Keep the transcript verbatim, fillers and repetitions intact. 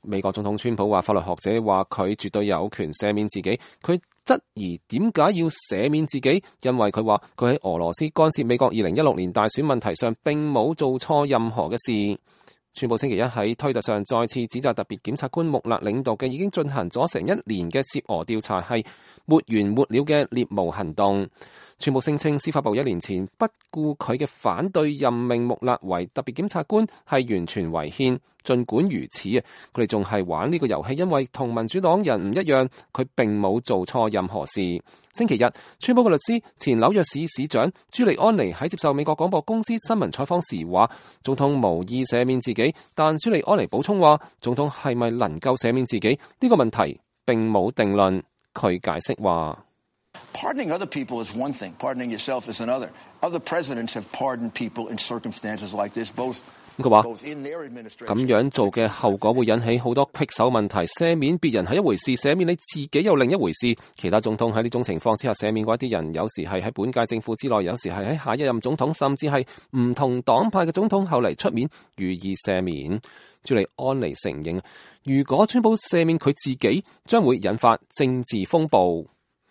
美國總統川普話，法律學者話佢絕對有權赦免自己。佢質疑點解要赦免自己，因為佢話佢喺俄羅斯干涉美國二零一六年大選問題上並冇做錯任何嘅事。川普星期一喺推特上再次指責特別檢察官穆勒領導嘅已經進行咗成一年嘅涉俄調查係沒完沒了嘅獵巫行動。川普聲稱司法部一年前不顧佢嘅反對任命穆勒為特別檢察官係完全違憲。儘管如此啊，佢哋仲係玩呢個遊戲，因為同民主黨人唔一樣，佢並冇做錯任何事。星期日，川普嘅律師前紐約市市長朱利安尼喺接受美國廣播公司新聞採訪時話，總統無意赦免自己，但朱利安尼補充話，總統係咪能夠赦免自己呢個問題並冇定論。佢解釋話，Pardoning other people is one thing. Pardoning yourself is another. Other presidents have pardoned people in circumstances like this, both. 佢話咁樣做嘅後果會引起好多棘手問題。赦免別人係一回事，赦免你自己又另一回事。其他總統喺呢種情況之下赦免過一啲人，有時係喺本屆政府之內，有時係喺下一任總統，甚至係唔同黨派嘅總統後嚟出面予以赦免。朱利安尼承認，如果川普赦免佢自己，將會引發政治風暴。